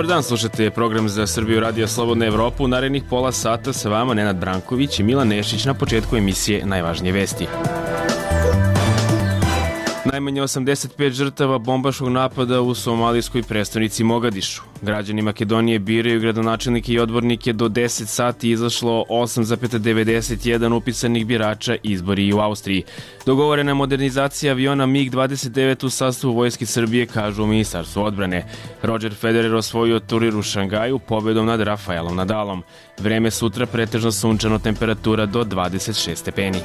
dan, slušate program za Srbiju Radio Slobodna Evropa. U narednih pola sata sa vama Nenad Branković i Milan Nešić. Na početku emisije najvažnije vesti. Najmanje 85 žrtava bombaškog napada u somalijskoj prestonici Mogadišu. Građani Makedonije biraju gradonačelnike i odbornike. Do 10 sati izašlo 8,91 upisanih birača, izbori i u Austriji. Dogovorena modernizacija aviona MiG-29 u sastavu Vojske Srbije, kažu u Ministarstvu odbrane. Roger Federer osvojio turnir u Šangaju pobedom nad Rafaelom Nadalom. Vreme sutra pretežno sunčano, temperatura do 26 stepeni.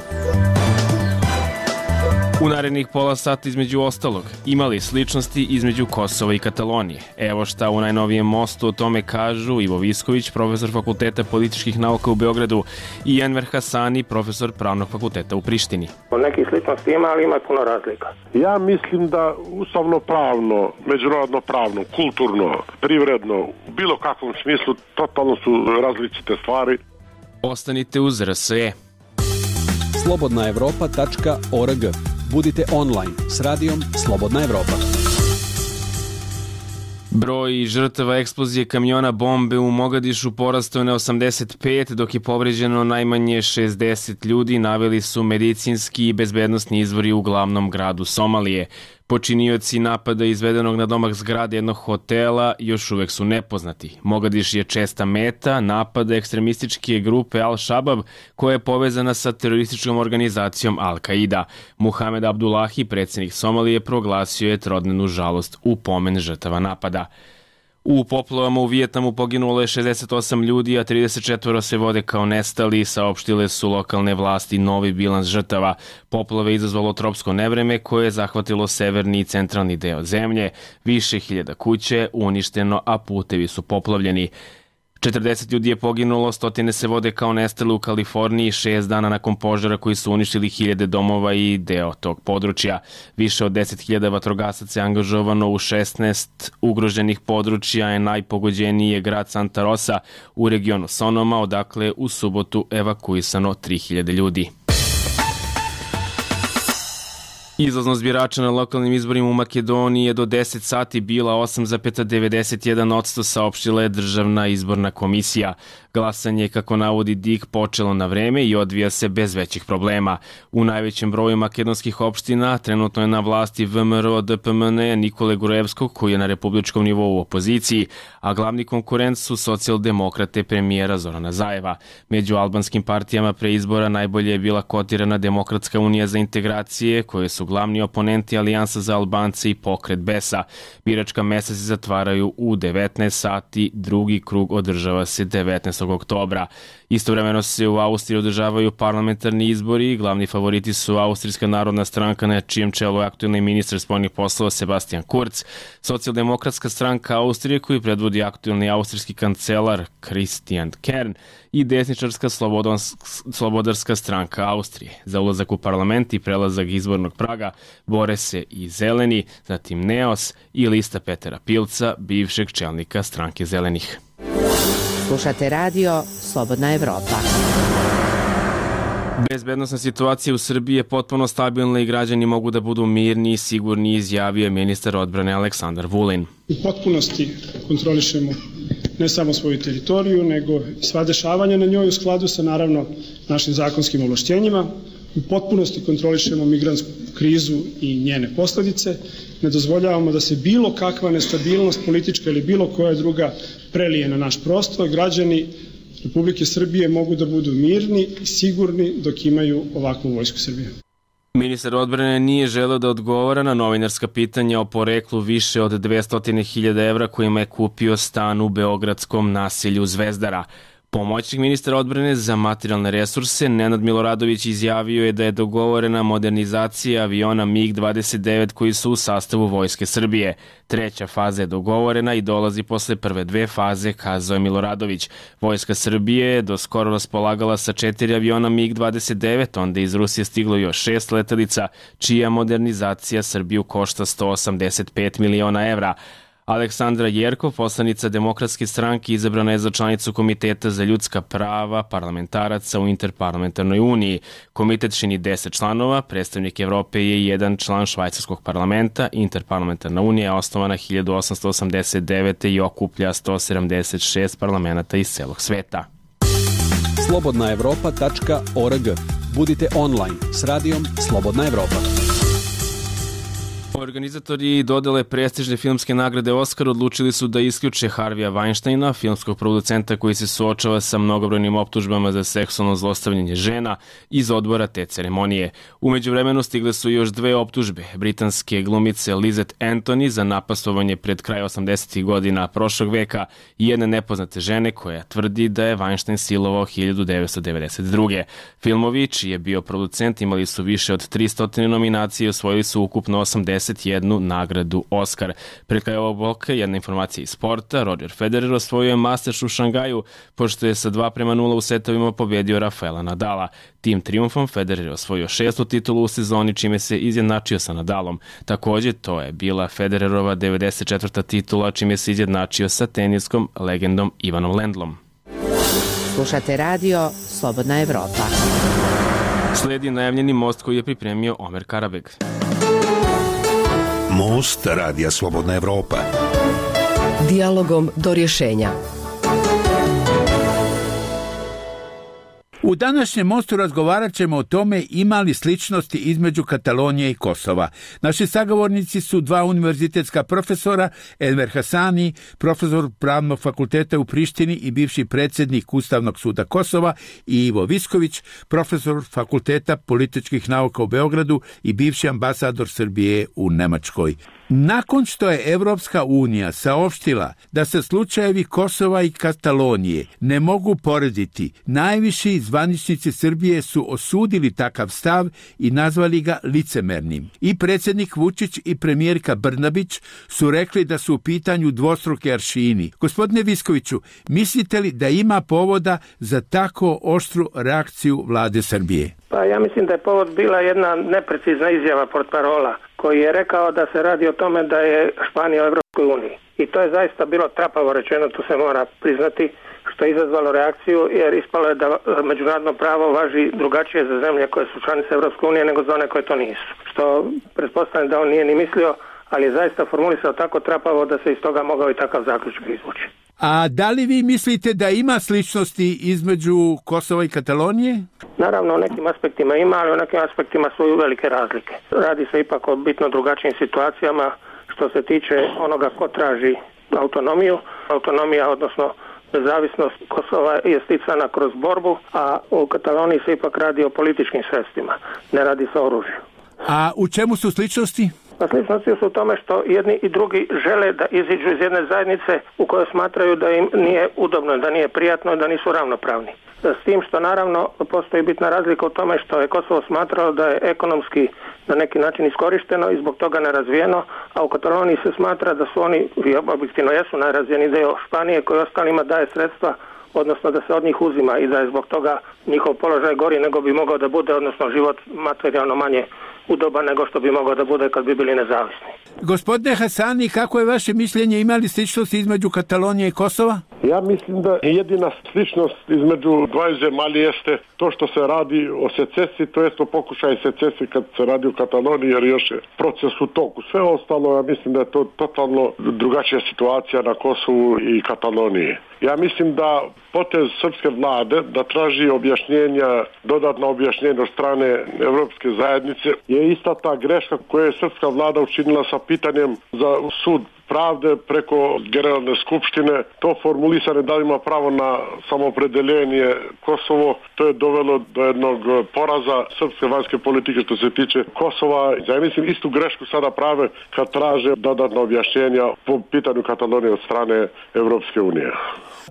U narednih pola sata između ostalog imali sličnosti između Kosova i Katalonije. Evo šta u najnovijem mostu o tome kažu Ivo Visković, profesor Fakulteta političkih nauka u Beogradu, i Enver Hasani, profesor Pravnog fakulteta u Prištini. Neki sličnosti ima, ali ima puno razlika. Ja mislim da ustavno pravno, međunarodno pravno, kulturno, privredno, u bilo kakvom smislu totalno su različite stvari. Ostanite uz RSE. slobodnaevropa.org. Budite online s radijom Slobodna Evropa. Broj žrtava eksplozije kamiona bombe u Mogadišu porastao je na 85, dok je povređeno najmanje 60 ljudi, naveli su medicinski i bezbednosni izvori u glavnom gradu Somalije. Počinioci napada izvedenog na domak zgrade jednog hotela još uvek su nepoznati. Mogadiš je česta meta napada ekstremističke grupe Al-Shabab, koja je povezana sa terorističkom organizacijom Al-Qaida. Muhamed Abdullahi, predsjednik Somalije, proglasio je trodnevnu žalost u pomen žrtava napada. U poplavama u Vijetnamu poginulo je 68 ljudi, a 34 se vode kao nestali, saopštile su lokalne vlasti novi bilans žrtava. Poplave izazvalo tropsko nevreme koje je zahvatilo severni i centralni deo zemlje. Više hiljada kuće je uništeno, a putevi su poplavljeni. 40 ljudi je poginulo, stotine se vode kao nestali u Kaliforniji 6 dana nakon požara koji su uništili hiljade domova i deo tog područja. Više od 10.000 vatrogasaca je angažovano u 16 ugroženih područja, je najpogođeniji je grad Santa Rosa u regionu Sonoma, odakle u subotu evakuisano 3.000 ljudi. Izlaznost birača na lokalnim izborima u Makedoniji je do 10 sati bila 8,91%, saopštila je Državna izborna komisija. Glasanje, kako navodi DIK, počelo na vreme i odvija se bez većih problema. U najvećem broju makedonskih opština trenutno je na vlasti VMRO DPMN Nikole Gurevskog, koji je na republičkom nivou u opoziciji, a glavni konkurent su socijaldemokrate premijera Zorana Zajeva. Među albanskim partijama pre izbora najbolje je bila kotirana Demokratska unija za integracije, koje su glavni oponenti Alijansa za Albance i Pokret Besa. Biračka mesta se zatvaraju u 19 sati, drugi krug održava se 19. oktobra. Istovremeno se u Austriji održavaju parlamentarni izbori i glavni favoriti su Austrijska narodna stranka, na čijem čelu je aktuelni ministar spoljnih poslova Sebastian Kurz, Socijaldemokratska stranka Austrije, koju predvodi aktuelni austrijski kancelar Christian Kern, i desničarska slobodarska stranka Austrije. Za ulazak u parlament i prelazak izbornog praga bore se i Zeleni, zatim Neos i lista Petera Pilca, bivšeg čelnika stranke Zelenih. Slušate radio Slobodna Evropa. Bezbednosna situacija u Srbiji je potpuno stabilna i građani mogu da budu mirni i sigurni, izjavio je ministar odbrane Aleksandar Vulin. U potpunosti kontrolišemo ne samo svoju teritoriju, nego sva dešavanja na njoj u skladu sa, naravno, našim zakonskim ovlašćenjima. U potpunosti kontrolišemo migrantsku krizu i njene posledice. Ne dozvoljavamo da se bilo kakva nestabilnost politička ili bilo koja druga prelije na naš prostor. Građani Republike Srbije mogu da budu mirni i sigurni dok imaju ovakvu vojsku Srbije. Ministar odbrane nije želeo da odgovara na novinarska pitanja o poreklu više od 200.000 evra kojima je kupio stan u beogradskom naselju Zvezdara. Pomoćnik ministra odbrane za materijalne resurse Nenad Miloradović izjavio je da je dogovorena modernizacija aviona MiG-29 koji su u sastavu Vojske Srbije. Treća faza je dogovorena i dolazi posle prve dve faze, kazao je Miloradović. Vojska Srbije je do skoro raspolagala sa 4 aviona MiG-29, onda iz Rusije stiglo još 6 letelica, čija modernizacija Srbiju košta 185 miliona evra. Aleksandra Jerkov, poslanica Demokratske stranke, izabrana je za članicu Komiteta za ljudska prava parlamentaraca u Interparlamentarnoj uniji. Komitet čini 10 članova, predstavnik Evrope je jedan član švajcarskog parlamenta. Interparlamentarna unija je osnovana 1889. i okuplja 176 parlamenta iz celog sveta. slobodnaevropa.org. Budite online s radijom Slobodna Evropa. Organizatori dodele prestižne filmske nagrade Oskar odlučili su da isključe Harvija Weinsteina, filmskog producenta koji se suočava sa mnogobrojnim optužbama za seksualno zlostavljanje žena, iz odbora te ceremonije. U međuvremenu stigle su još dve optužbe britanske glumice Lizette Anthony za napastovanje pred kraj 80. godina prošlog veka i jedne nepoznate žene koja tvrdi da je Weinstein silovao 1992. Filmovi, čiji je bio producent, imali su više od 300 nominacije i osvojili su ukupno 81 nagradu Oskar. Pred kraj ovog bloka jedna informacija iz sporta. Roger Federer osvojio je Masters u Šangaju, pošto je sa 2:0 u setovima pobedio Rafaela Nadala. Tim trijumfom Federer je osvojio 6. titulu u sezoni, čime se izjednačio sa Nadalom. Takođe, to je bila Federerova 94. titula, čime se izjednačio sa teniskom legendom Ivanom Lendlom. Slušate radio Slobodna Evropa. Sledi najavljeni most koji je pripremio Omer Karabeg. Most radija Slobodna Evropa. Dijalogom do rješenja. U današnjem mostu razgovarat ćemo o tome ima li sličnosti između Katalonije i Kosova. Naši sagovornici su dva univerzitetska profesora, Enver Hasani, profesor Pravnog fakulteta u Prištini i bivši predsjednik Ustavnog suda Kosova, i Ivo Visković, profesor Fakulteta političkih nauka u Beogradu i bivši ambasador Srbije u Nemačkoj. Nakon što je Evropska unija saopštila da se slučajevi Kosova i Katalonije ne mogu porediti, najviši zvaničnici Srbije su osudili takav stav i nazvali ga licemernim. I predsjednik Vučić i premijerka Brnabić su rekli da su u pitanju dvostruki aršini. Gospodine Viskoviću, mislite li da ima povoda za tako oštru reakciju vlade Srbije? Pa ja mislim da je povod bila jedna neprecizna izjava portparola koji je rekao da se radi o tome da je Španija u Evropskoj uniji. I to je zaista bilo trapavo rečeno, to se mora priznati, što je izazvalo reakciju, jer ispalo je da međunarodno pravo važi drugačije za zemlje koje su članice Evropske unije nego za one koje to nisu. Što pretpostavljam da on nije ni mislio, ali je zaista formulisao tako trapavo da se iz toga mogao i takav zaključak izvući. A da li vi mislite da ima sličnosti između Kosova i Katalonije? Naravno, u nekim aspektima ima, ali u nekim aspektima su i velike razlike. Radi se ipak o bitno drugačijim situacijama što se tiče onoga ko traži autonomiju. Autonomija, odnosno nezavisnost Kosova je sticana kroz borbu, a u Kataloniji se ipak radi o političkim sredstvima, ne radi se o oružju. A u čemu su sličnosti? Pa sličnosti su u tome što jedni i drugi žele da iziđu iz jedne zajednice u kojoj smatraju da im nije udobno, da nije prijatno, da nisu ravnopravni. S tim što naravno postoji bitna razlika u tome što je Kosovo smatralo da je ekonomski na neki način iskorišteno i zbog toga nerazvijeno, a u Kataloniji se smatra da su oni, objektivno jesu, najrazvijeniji dio Španije koji ostalima daje sredstva, odnosno da se od njih uzima i da je zbog toga njihov položaj gori nego bi mogao da bude, odnosno život materijalno manje udoban nego što bi mogao da bude kad bi bili nezavisni. Gospodine Hasani, kako je vaše mišljenje, ima li sličnosti između Katalonije i Kosova? Ja mislim da jedina sličnost između dvaju zemalja jeste to što se radi o secesiji, to jest o pokušaju secesiji kad se radi o Kataloniji, jer još je proces u toku. Sve ostalo, ja mislim da je to totalno drugačija situacija na Kosovu i Kataloniji. Ja mislim da potez srpske vlade da traži objašnjenja, dodatna objašnjenja od strane Evropske zajednice je ista ta greška koju je srpska vlada učinila sa pitanjem za sud pravde preko Generalne skupštine. To formulisane da ima pravo na samopredeljenje Kosovo, to je dovelo do jednog poraza srpske vanjske politike što se tiče Kosova. Ja mislim istu grešku sada prave kad traže dodatna objašnjenja po pitanju Katalonije od strane Evropske unije.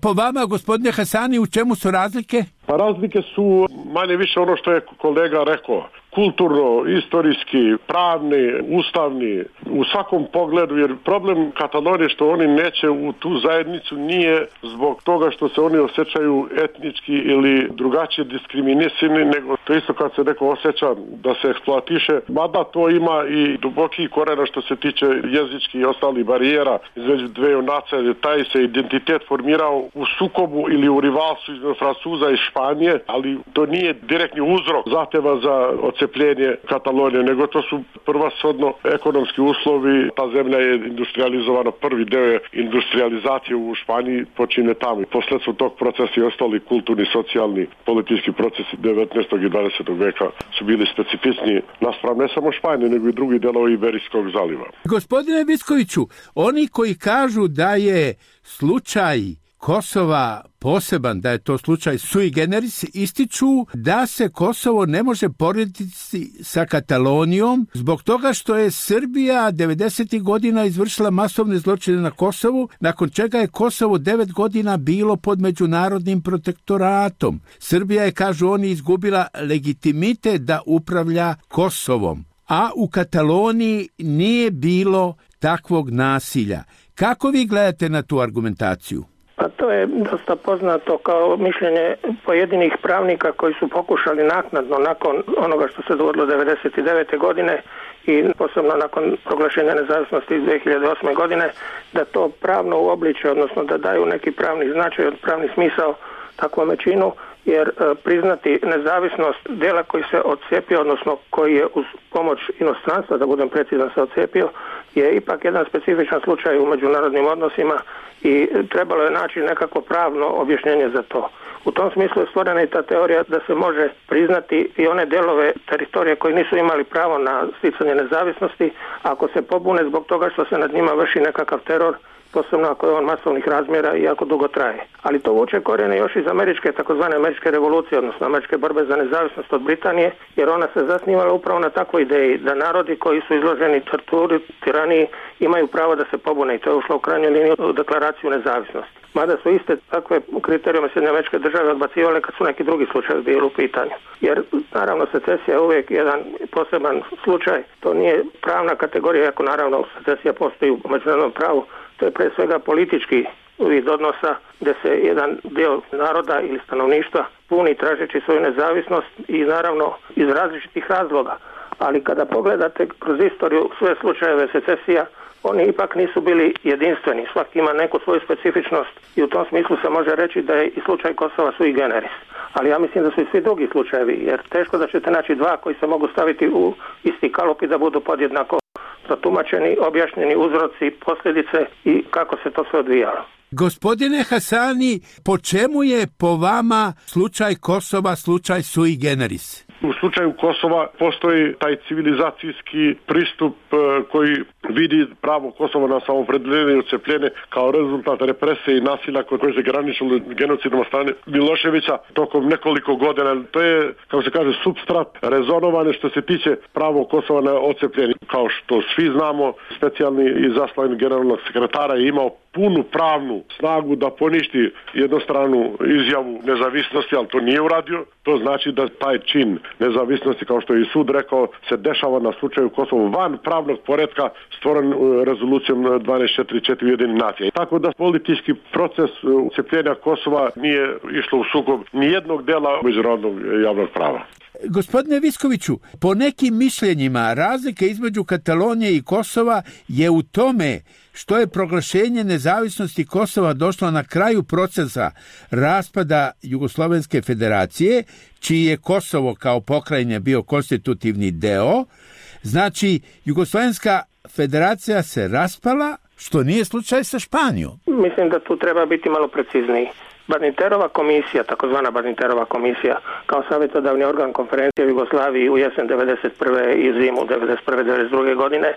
Po vama, gospodine Hasani, u čemu su razlike? Pa razlike su manje više ono što je kolega rekao. kulturno, istorijski, pravni, ustavni, u svakom pogledu, jer problem Katalonije što oni neće u tu zajednicu nije zbog toga što se oni osjećaju etnički ili drugačije diskriminisani, nego to isto kad se neko osjeća da se eksploatiše, mada to ima i duboki korena što se tiče jezičkih i ostalih barijera između dveju nacija, taj se identitet formirao u sukobu ili u rivalstvu između Francuza i Španije, ali to nije direktni uzrok zahteva za odcepljenje Katalonije, nego to su prvenshodno ekonomski uslovi. Ta zemlja je industrializovana, prvi deo je industrializacije u Španiji počine tamo. Posledstvo tog procesa i ostali kulturni, socijalni, politički procesi 19. i 20. veka su bili specifični naspram ne samo Španije, nego i drugi delovi Iberijskog zaliva. Gospodine Viskoviću, oni koji kažu da je slučaj Kosova poseban, da je to slučaj sui generis, ističu da se Kosovo ne može porediti sa Katalonijom zbog toga što je Srbija 90. godina izvršila masovne zločine na Kosovu, nakon čega je Kosovo 9 godina bilo pod međunarodnim protektoratom. Srbija je, kažu oni, izgubila legitimitet da upravlja Kosovom, a u Kataloniji nije bilo takvog nasilja. Kako vi gledate na tu argumentaciju? Pa to je dosta poznato kao mišljenje pojedinih pravnika koji su pokušali naknadno, nakon onoga što se dogodilo 1999. godine i posebno nakon proglašenja nezavisnosti 2008. godine, da to pravno uobliče, odnosno da daju neki pravni značaj, pravni smisao takvom činu, jer priznati nezavisnost dela koji se odcepio, odnosno koji je uz pomoć inostranstva, da budem precizan, se odcepio, je ipak jedan specifičan slučaj u međunarodnim odnosima i trebalo je naći nekako pravno objašnjenje za to. U tom smislu je stvorena i ta teorija da se može priznati i one delove teritorije koji nisu imali pravo na sticanje nezavisnosti, ako se pobune zbog toga što se nad njima vrši nekakav teror, posebno ako je on masovnih razmjera i ako dugo traje. Ali to vuče korijene još iz američke, takozvane američke revolucije, odnosno američke borbe za nezavisnost od Britanije, jer ona se zasnivala upravo na takvoj ideji da narodi koji su izloženi torturi, tiraniji, imaju pravo da se pobune i to je ušlo u krajnjoj liniji u deklaraciju nezavisnosti. Mada su iste takve kriterijume Sjedinjene Američke Države odbacivale kad su neki drugi slučajevi bili u pitanju. Jer naravno secesija je uvijek jedan poseban slučaj, to nije pravna kategorija, ako naravno secesija postoji u međunarodnom pravu, to je pre svega politički vid odnosa gdje se jedan dio naroda ili stanovništva puni tražeći svoju nezavisnost i naravno iz različitih razloga. Ali kada pogledate kroz istoriju sve slučajeve secesija, oni ipak nisu bili jedinstveni. Svaki ima neku svoju specifičnost i u tom smislu se može reći da je i slučaj Kosova sui generis. Ali ja mislim da su i svi drugi slučajevi, jer teško da ćete naći dva koji se mogu staviti u isti kalup i da budu podjednako protumačeni, objašnjeni uzroci, posljedice i kako se to sve odvijalo. Gospodine Hasani, po čemu je po vama slučaj Kosova slučaj sui generis? U slučaju Kosova postoji taj civilizacijski pristup koji vidi pravo Kosova na samoopredeljenje i odcepljenje kao rezultat represije i nasilja koje se graničilo genocidom od strane Miloševića tokom nekoliko godina. To je, kako se kaže, supstrat rezonovane što se tiče pravo Kosova na odcepljenje. Kao što svi znamo, specijalni izaslanik generalnog sekretara je imao punu pravnu snagu da poništi jednostranu izjavu nezavisnosti, ali to nije uradio. To znači da taj čin nezavisnosti, kao što je i sud rekao, se dešava na slučaju Kosova van pravnog poretka stvoren rezolucijom 1244 Ujedinjenih nacija. Tako da politički proces ucepljenja Kosova nije išlo u sukob nijednog dela međunarodnog javnog prava. Gospodine Viskoviću, po nekim mišljenjima razlika između Katalonije i Kosova je u tome što je proglašenje nezavisnosti Kosova došlo na kraju procesa raspada Jugoslovenske federacije, čiji je Kosovo kao pokrajina bio konstitutivni deo. Znači, Jugoslovenska federacija se raspala, što nije slučaj sa Španijom. Mislim da tu treba biti malo precizniji. Badinterova komisija, takozvana Badinterova komisija, kao savjetodavni organ konferencije u Jugoslaviji u jesen 1991. i zimu 1991-1992. godine,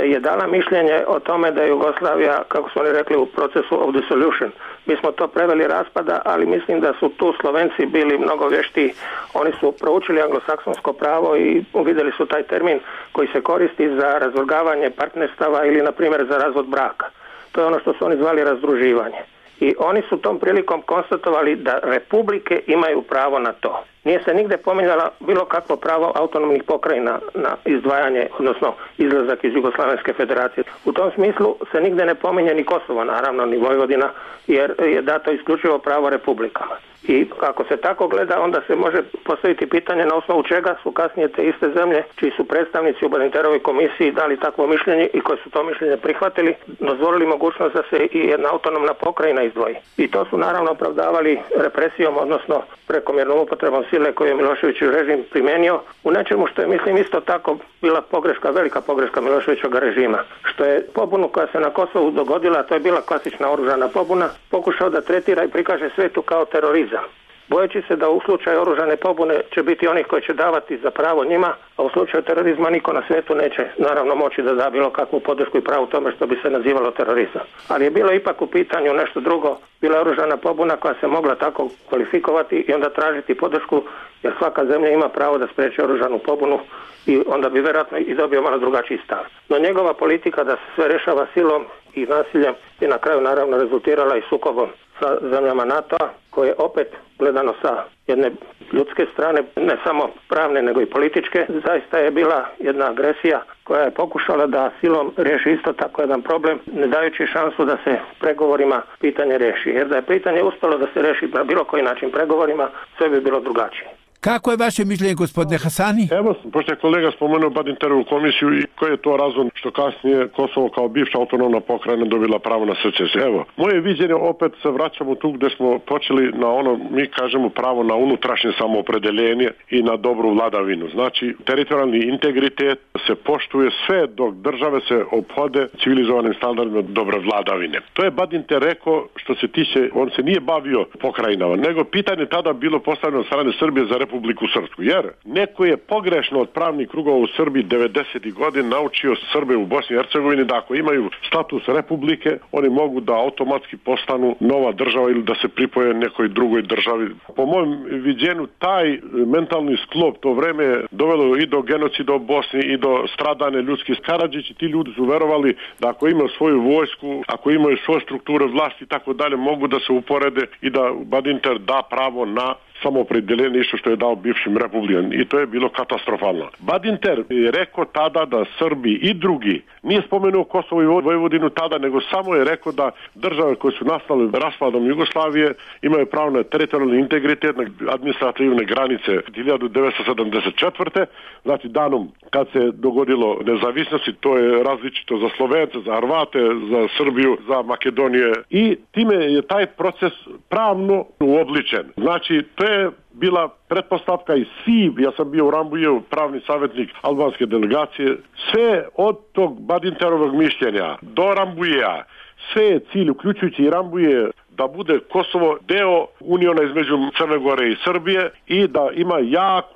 je dala mišljenje o tome da je Jugoslavija, kako su oni rekli, u procesu of dissolution. Mi smo to preveli raspada, ali mislim da su tu Slovenci bili mnogo vješti. Oni su proučili anglosaksonsko pravo i uvidjeli su taj termin koji se koristi za razvrgavanje partnerstava ili, na primjer, za razvod braka. To je ono što su oni zvali razdruživanje. I oni su tom prilikom konstatovali da republike imaju pravo na to. Nije se nigde pominjala bilo kakvo pravo autonomnih pokrajina na izdvajanje, odnosno izlazak iz Jugoslavenske federacije. U tom smislu se nigde ne pominje ni Kosovo, naravno, ni Vojvodina, jer je dato isključivo pravo republikama. I ako se tako gleda, onda se može postaviti pitanje na osnovu čega su kasnije te iste zemlje, čiji su predstavnici u Badinterovoj komisiji dali takvo mišljenje i koji su to mišljenje prihvatili, dozvolili mogućnost da se i jedna autonomna pokrajina izdvoji. I to su naravno opravdavali represijom, odnosno prekomjernom upotrebom sile koju je Miloševićev režim primijenio u nečemu što je, mislim, isto tako bila pogreška, velika pogreška Miloševićevog režima. Što je pobunu koja se na Kosovu dogodila, to je bila klasična oružana pobuna, pokušao da tretira i prikaže svetu kao terorizam. Bojeći se da u slučaju oružane pobune će biti onih koji će davati za pravo njima, a u slučaju terorizma niko na svijetu neće naravno moći da da bilo kakvu podršku i pravu tome što bi se nazivalo terorizam. Ali je bilo ipak u pitanju nešto drugo, bila je oružana pobuna koja se mogla tako kvalifikovati i onda tražiti podršku, jer svaka zemlja ima pravo da spriječi oružanu pobunu i onda bi vjerojatno i dobio malo drugačiji stav. No njegova politika da se sve rešava silom i nasiljem je na kraju naravno rezultirala i sukobom sa zemljama NATO-a, koje opet gledano sa jedne ljudske strane, ne samo pravne nego i političke, zaista je bila jedna agresija koja je pokušala da silom riješi isto tako jedan problem, ne dajući šansu da se pregovorima pitanje riješi. Jer da je pitanje uspjelo da se riješi na bilo koji način pregovorima, sve bi bilo drugačije. Kako je vaše mišljenje, gospodine Hasani? Evo, pošto je kolega spomenuo Badinterovu komisiju i koji je to razlog što kasnije Kosovo kao bivša autonomna pokrajina dobila pravo na secesiju. Evo, moje viđenje, opet se vraćamo tu gdje smo počeli na ono, mi kažemo, pravo na unutrašnje samoopredeljenje i na dobru vladavinu. Znači, teritorijalni integritet se poštuje sve dok države se ophode civilizovanim standardima dobre vladavine. To je Badinter rekao što se tiče, on se nije bavio pokrajinama, nego pitanje tada bilo postavljeno od strane Srbije za Republiku Srpsku, jer neko je pogrešno od pravnih krugova u Srbiji 90. godina naučio Srbe u Bosni i Hercegovini da ako imaju status republike, oni mogu da automatski postanu nova država ili da se pripoje nekoj drugoj državi. Po mojem viđenju, taj mentalni sklop to vreme je dovelo i do genocida u Bosni i do stradane ljudskih. Karadžić i ti ljudi su verovali da ako imaju svoju vojsku, ako imaju svoje strukture vlasti i tako dalje, mogu da se uporede i da Badinter da pravo na samoopredeljenje isto što je dao bivšim republikama i to je bilo katastrofalno. Badinter je rekao tada da Srbi i drugi, nije spomenuo Kosovo i Vojvodinu tada, nego samo je rekao da države koje su nastale raspadom Jugoslavije imaju pravo na teritorijalni integritet, na administrativne granice 1974. Znači danom kad se dogodilo nezavisnosti, to je različito za Slovence, za Hrvate, za Srbiju, za Makedonije i time je taj proces pravno uobličen. Znači to je bila pretpostavka i svi, ja sam bio u Rambujevu pravni savjetnik albanske delegacije, sve od tog Badinterovog mišljenja do Rambujeja, sve je cilj, uključujući i Rambuje, da bude Kosovo deo uniona između Crne Gore i Srbije i da ima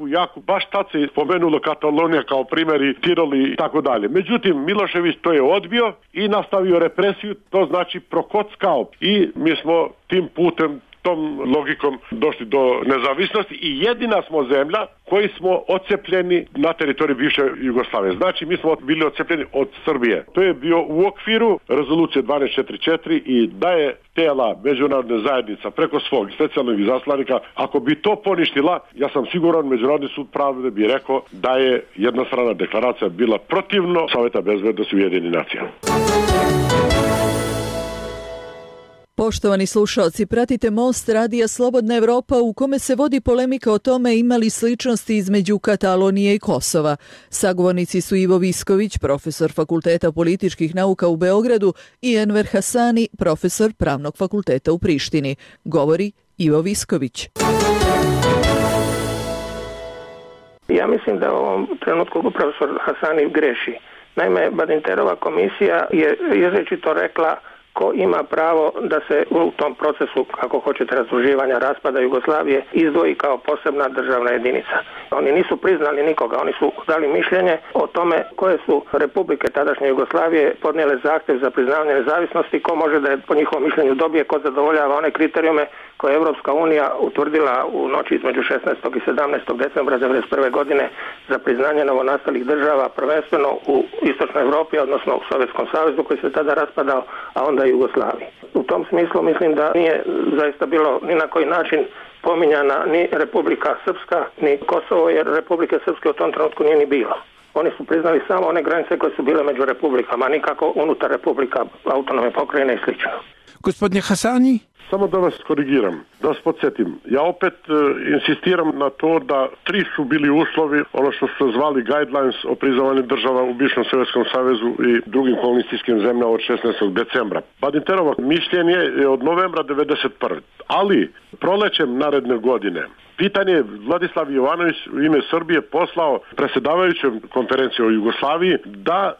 jaku, baš tad se spomenulo Katalonija kao primjer i Tirol i tako dalje. Međutim, Milošević to je odbio i nastavio represiju, to znači prokockao i mi smo tim putem, tom logikom došli do nezavisnosti i jedina smo zemlja koji smo odcepljeni na teritoriju bivše Jugoslavije. Znači mi smo bili odcepljeni od Srbije. To je bio u okviru rezolucije 1244 i da je tela međunarodne zajednica preko svog specijalnog izaslanika, ako bi to poništila, ja sam siguran Međunarodni sud pravde bi rekao da je jednostrana deklaracija bila protivno Saveta bezbednosti Ujedinjenih nacija. Poštovani slušalci, pratite Most radija Slobodna Evropa u kome se vodi polemika o tome ima li sličnosti između Katalonije i Kosova. Sagovornici su Ivo Visković, profesor Fakulteta političkih nauka u Beogradu i Enver Hasani, profesor Pravnog fakulteta u Prištini. Govori Ivo Visković. Ja mislim da u ovom trenutku profesor Hasani greši. Naime, Badinterova komisija je izričito rekla ko ima pravo da se u tom procesu, kako hoćete, razdruživanja, raspada Jugoslavije izdvoji kao posebna državna jedinica. Oni nisu priznali nikoga, oni su dali mišljenje o tome koje su republike tadašnje Jugoslavije podnijele zahtjev za priznavanje nezavisnosti, ko može da je po njihovom mišljenju dobije, ko zadovoljava one kriterijume koje je Evropska unija utvrdila u noći između 16. i 17. decembra 1991. godine za priznanje novonastalih država, prvenstveno u Istočnoj Europi, odnosno u Sovjetskom savezu koji se tada raspadao, a onda i Jugoslaviji. U tom smislu mislim da nije zaista bilo ni na koji način spominjana ni Republika Srpska, ni Kosovo, jer Republike Srpske u tom trenutku nije ni bilo. Oni su priznali samo one granice koje su bile među republikama, nikako unutar republika, autonomne pokrajine i sl. Gospodine Hasani? Samo da vas korigiram, da vas podsjetim. Ja opet insistiram na to da 3 su bili uslovi, ono što su zvali guidelines o priznavanju država u bivšem Sovjetskom savezu i drugim komunistskim zemljama od 16. decembra. Badinterovo mišljenje je od novembra 1991. Ali prolećem naredne godine pitanje Vladislav Jovanović u ime Srbije poslao predsjedavajućem konferencije o Jugoslaviji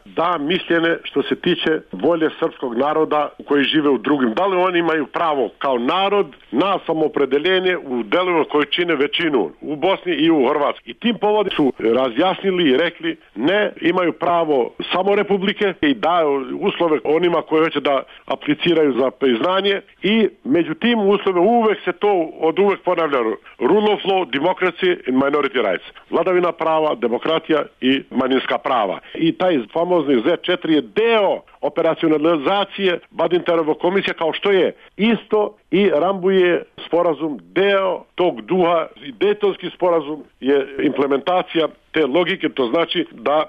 da mišljenje što se tiče volje srpskog naroda koji žive u drugim. Da li oni imaju pravo kao narod na samopredeljenje u delovima koji čine većinu u Bosni i u Hrvatskoj. I tim povodom su razjasnili i rekli ne, imaju pravo samo republike i daju uslove onima koji hoće da apliciraju za priznanje i među tim uslovima uvek se to od uvek ponavlja rule of law, democracy and minority rights. Vladavina prava, demokratija i manjinska prava. I taj famozni Z4 je deo operacionalizacije Badinterovog komisija kao što je isto i Rambuje sporazum deo tog duha i Dejtonski sporazum je implementacija te logike, to znači da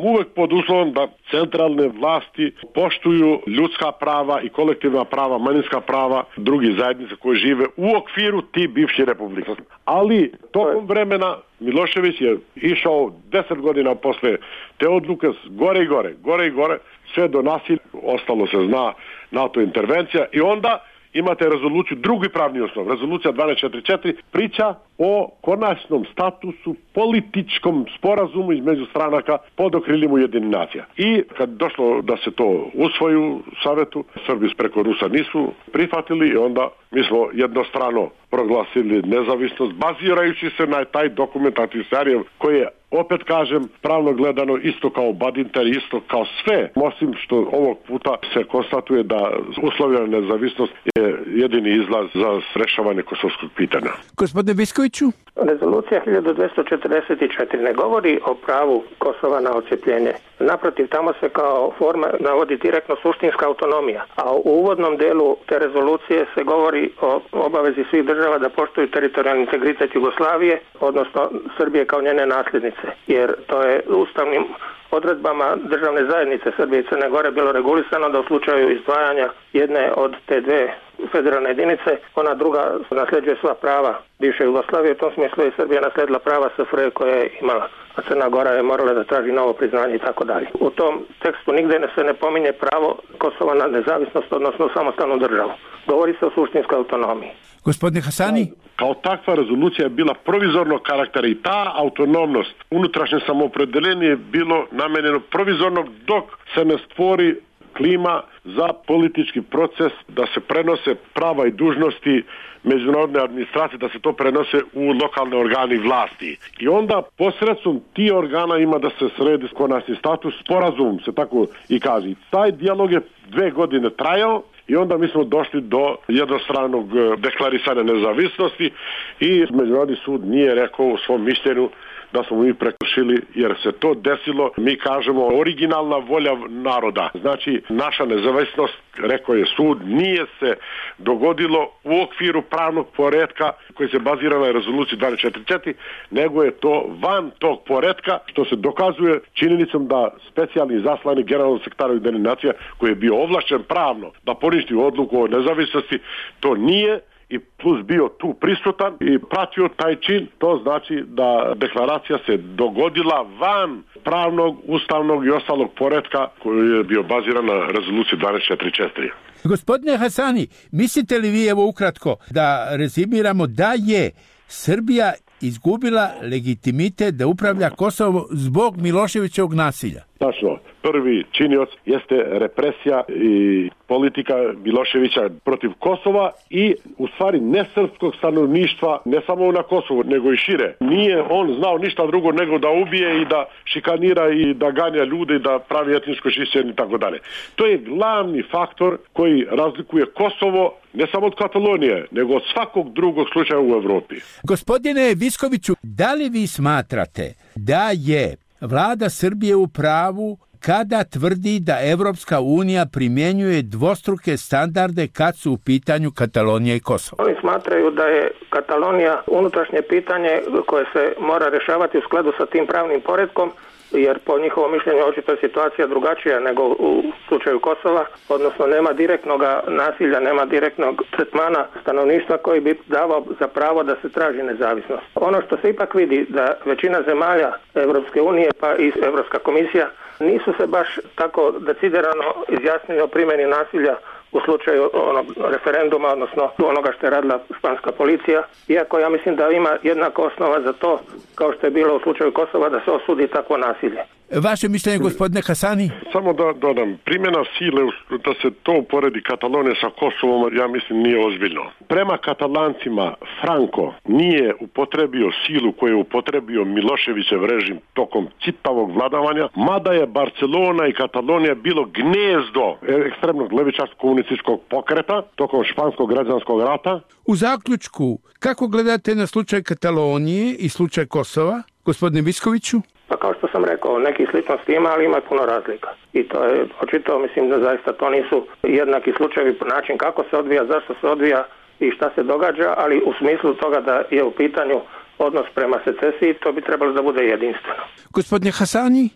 uvek pod uslovom da centralne vlasti poštuju ljudska prava i kolektivna prava, manjinska prava drugih zajednica koje žive u okviru ti bivših republika. Ali tokom vremena Milošević je išao 10 godina posle te odluke gore i gore, sve do nasilja, ostalo se zna NATO intervencija i onda imate rezoluciju, drugi pravni osnov, rezolucija 1244, priča o konačnom statusu, političkom sporazumu između stranaka pod okriljem Ujedinjenih nacija. I kad došlo da se to usvoji u Savetu, Srbi preko Rusa nisu prihvatili i onda mi smo jednostrano proglasili nezavisnost, bazirajući se na taj dokument Ahtisaarijev koji je, opet kažem, pravno gledano isto kao Badinter, isto kao sve, osim što ovog puta se konstatuje da uslovljena nezavisnost je jedini izlaz za rešavanje kosovskog pitanja. Gospodine Viskoviću? Rezolucija 1244 ne govori o pravu Kosova na odcepljenje. Naprotiv, tamo se kao forma navodi direktno suštinska autonomija, a u uvodnom delu te rezolucije se govori o obavezi svih država da poštuju teritorijalni integritet Jugoslavije, odnosno Srbije kao njene nasljednice, jer to je ustavnim odredbama državne zajednice Srbije i Crne Gore bilo regulisano da u slučaju izdvajanja jedne od te dve federalne jedinice, ona druga nasljeđuje sva prava bivše Jugoslavije, u tom smislu je Srbija nasledila prava SFRJ koje je imala, a Crna Gora je morala da traži novo priznanje i tako dalje. U tom tekstu nigde se ne pominje pravo Kosova na nezavisnost, odnosno samostalnu državu. Govori se o suštinskoj autonomiji. Gospodine Hasani? Kao takva rezolucija je bila provizornog karaktera i ta autonomnost, unutrašnje samoopredeljenje je bilo namenjeno provizorno dok se ne stvori klima za politički proces, da se prenose prava i dužnosti međunarodne administracije, da se to prenose u lokalne organe vlasti. I onda posredstvom ti organa ima da se sredi konačni status, sporazum se tako i kaže. Taj dijalog je 2 godine trajao i onda mi smo došli do jednostranog deklarisanja nezavisnosti i Međunarodni sud nije rekao u svom mišljenju da smo mi prekršili jer se to desilo, mi kažemo, originalna volja naroda. Znači, naša nezavisnost, rekao je sud, nije se dogodilo u okviru pravnog poretka koji se bazira na rezoluciji 1244, nego je to van tog poretka, što se dokazuje činjenicom da specijalni zaslanik generalnog sekretara Ujedinjenih nacija, koji je bio ovlašćen pravno da poništi odluku o nezavisnosti, to nije, i plus bio tu prisutan i pratio taj čin, to znači da deklaracija se dogodila van pravnog, ustavnog i ostalog poretka koji je bio baziran na rezoluciji 1244. Gospodine Hasani, mislite li vi, evo ukratko, da rezimiramo da je Srbija izgubila legitimitet da upravlja Kosovo zbog Miloševićevog nasilja? Tačno. Prvi činioc jeste represija i politika Miloševića protiv Kosova i u stvari nesrpskog stanovništva, ne samo na Kosovu, nego i šire. Nije on znao ništa drugo nego da ubije i da šikanira i da ganja ljude i da pravi etničko čišćenje i tako dalje. To je glavni faktor koji razlikuje Kosovo ne samo od Katalonije, nego od svakog drugog slučaja u Evropi. Gospodine Viskoviću, da li vi smatrate da je vlada Srbije u pravu kada tvrdi da Evropska unija primjenjuje dvostruke standarde kad su u pitanju Katalonija i Kosovo. Oni smatraju da je Katalonija unutrašnje pitanje koje se mora rješavati u skladu sa tim pravnim poretkom, jer po njihovom mišljenju očito je situacija drugačija nego u slučaju Kosova, odnosno nema direktnog nasilja, nema direktnog tretmana stanovništva koji bi davao za pravo da se traži nezavisnost. Ono što se ipak vidi da većina zemalja Europske unije pa i Europska komisija nisu se baš tako decidirano izjasnili o primjeni nasilja u slučaju onog referenduma, odnosno onoga što je radila španska policija, iako ja mislim da ima jednaka osnova za to, kao što je bilo u slučaju Kosova, da se osudi takvo nasilje. Vaše mišljenje, gospodine Hasani? Samo da dodam, primjena sile, da se to uporedi Katalonija sa Kosovom, ja mislim nije ozbiljno. Prema Katalancima, Franco nije upotrebio silu koju je upotrebio Miloševićev režim tokom čitavog vladavanja, mada je Barcelona i Katalonija bilo gnezdo ekstremnog levičarskog komunističkog pokreta tokom španskog građanskog rata. U zaključku, kako gledate na slučaj Katalonije i slučaj Kosova, gospodine Viskoviću? Pa kao što sam rekao, neki sličnosti ima, ali ima puno razlika. I to je očito, mislim da zaista to nisu jednaki slučajevi po način kako se odvija, zašto se odvija i šta se događa, ali u smislu toga da je u pitanju odnos prema secesiji, to bi trebalo da bude jedinstveno. Gospodine Hasani?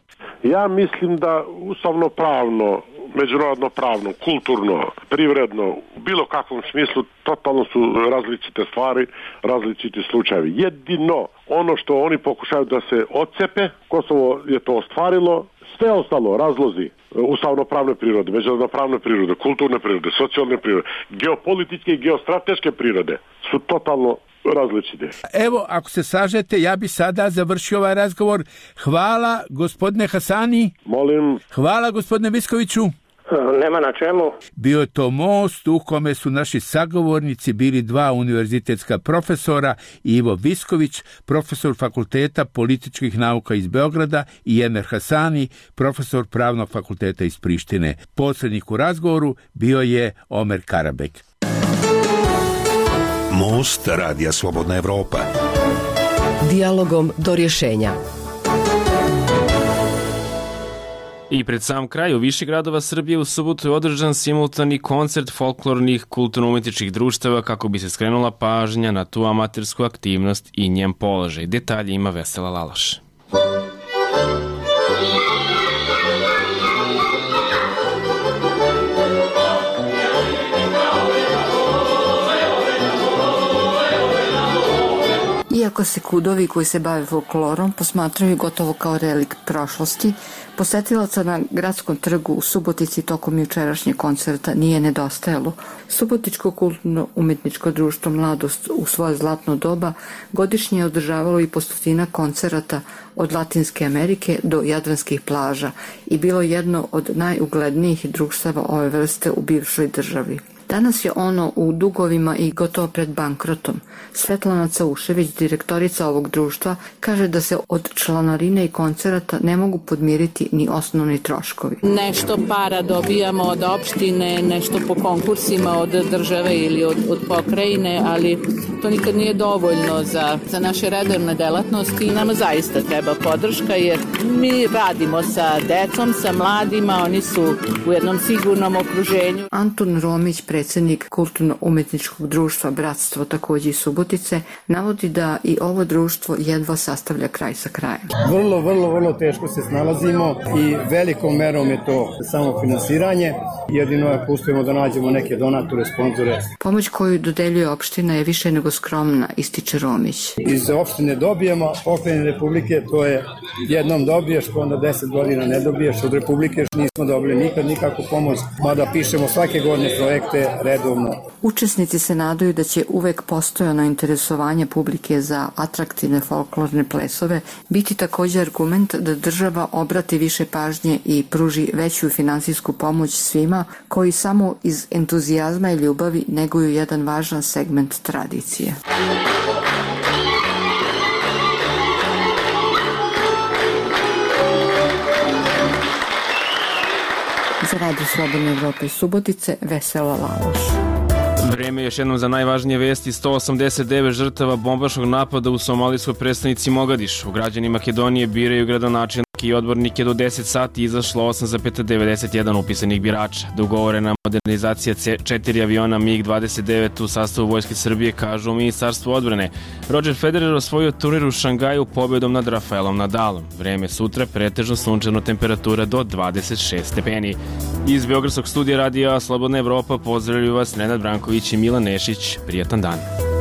Ja mislim da ustavno pravno, međunarodno pravno, kulturno, privredno, u bilo kakvom smislu totalno su različite stvari, različiti slučajevi. Jedino ono što oni pokušaju da se odcepe, Kosovo je to ostvarilo, sve ostalo, razlozi ustavno-pravne prirode, međunarodno-pravne prirode, kulturne prirode, socijalne prirode, geopolitičke i geostrateške prirode su totalno različite. Evo, ako se slažete, ja bi sada završio ovaj razgovor. Hvala, gospodine Hasani. Molim. Hvala, gospodine Viskoviću. Nema na čemu. Bio je to most u kome su naši sagovornici bili dva univerzitetska profesora, Ivo Visković, profesor Fakulteta političkih nauka iz Beograda, i Enver Hasani, profesor Pravnog fakulteta iz Prištine. Posrednik u razgovoru bio je Omer Karabek. Most Radija Slobodna Evropa. Dijalogom do rješenja. I pred sam kraj u više gradova Srbije u subotu je održan simultani koncert folklornih kulturno-umetničkih društava kako bi se skrenula pažnja na tu amatersku aktivnost i njen položaj. Detalje ima Vesela Lalaš. Iako se kudovi koji se bave folklorom posmatraju gotovo kao relikt prošlosti, posetilaca na gradskom trgu u Subotici tokom jučerašnjeg koncerta nije nedostajalo. Subotičko kulturno-umetničko društvo Mladost u svoje zlatno doba godišnje je održavalo i po 100 koncerata od Latinske Amerike do jadranskih plaža i bilo jedno od najuglednijih društava ove vrste u bivšoj državi. Danas je ono u dugovima i gotovo pred bankrotom. Svetlana Caušević, direktorica ovog društva, kaže da se od članarine i koncerata ne mogu podmiriti ni osnovni troškovi. Nešto para dobijamo od opštine, nešto po konkursima od države ili od pokrajine, ali to nikad nije dovoljno za naše redovne delatnosti i nama zaista treba podrška, jer mi radimo sa decom, sa mladima, oni su u jednom sigurnom okruženju. Antun Romić, predsjednik kulturno-umetničkog društva Bratstvo, također iz Subotice, navodi da i ovo društvo jedva sastavlja kraj sa krajem. Vrlo teško se snalazimo i velikom merom je to samo finansiranje. Jedino ako uspijemo da nađemo neke donatore, sponzore. Pomoć koju dodeljuje opština je više nego skromna, ističe Romić. Iz opštine dobijemo, pokrajine Republike to je jednom dobiješ, pa onda 10 godina ne dobiješ. Od Republike nismo dobili nikad nikakvu pomoć, mada pišemo svake godine projekte redovno. Učesnici se nadaju da će uvek postojano interesovanje publike za atraktivne folklorne plesove biti također argument da država obrati više pažnje i pruži veću finansijsku pomoć svima koji samo iz entuzijazma i ljubavi neguju jedan važan segment tradicije. Za Radio Slobodne Evrope iz Subotice, Vesela Laloš. Vreme je još jednom za najvažnije vesti. 189 žrtava bombaškog napada u somalijskoj prestonici Mogadišu. Građani Makedonije biraju gradonačelnika stranke i odbornike do 10 sati izašlo 8,91 upisanih birača. Dogovorena modernizacija 4 aviona MiG-29 u sastavu Vojske Srbije, kažu u Ministarstvu odbrane. Roger Federer osvojio turnir u Šangaju pobedom nad Rafaelom Nadalom. Vreme sutra pretežno sunčano, temperatura do 26 stepeni. Iz Beogradskog studija radija Slobodna Evropa pozdravljaju vas Nenad Branković i Milan Nešić. Prijatan dan.